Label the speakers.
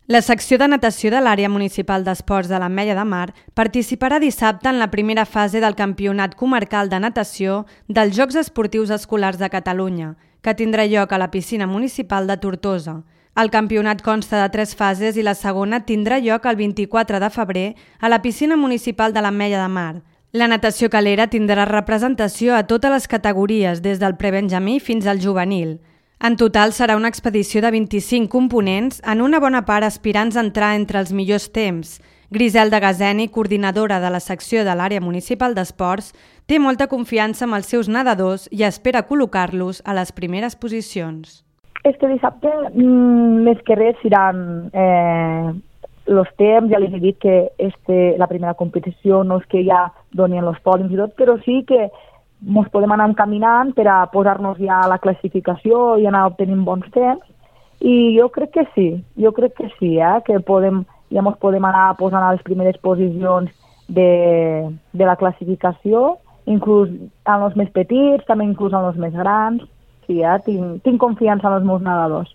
Speaker 1: La secció de natació de l'Àrea Municipal d'Esports de l'Ametlla de Mar participarà dissabte en la primera fase del Campionat Comarcal de Natació dels Jocs Esportius Escolars de Catalunya, que tindrà lloc a la piscina municipal de Tortosa. El campionat consta de 3 fases i la segona tindrà lloc el 24 de febrer a la piscina municipal de l'Ametlla de Mar. La natació calera tindrà representació a totes les categories, des del prebenjamí fins al juvenil. En total serà una expedició de 25 components, en una bona part aspirants a entrar entre els millors temps. Griselda Gazeni, coordinadora de la secció de l'Àrea Municipal d'Esports, té molta confiança amb els seus nedadors i espera col·locar-los a les primeres posicions.
Speaker 2: Este dissabte, més que res, seran els temps. Ja els he dit que la primera competició no és que ja donin els pòdiums i tot, però sí que ens podem anar encaminant per a posar-nos ja a la classificació i anar obtenint bons temps. I jo crec que sí, que ja ens podem anar posant a les primeres posicions de la classificació, inclús en els més petits, també inclús en els més grans. Sí, tinc confiança en els meus nedadors.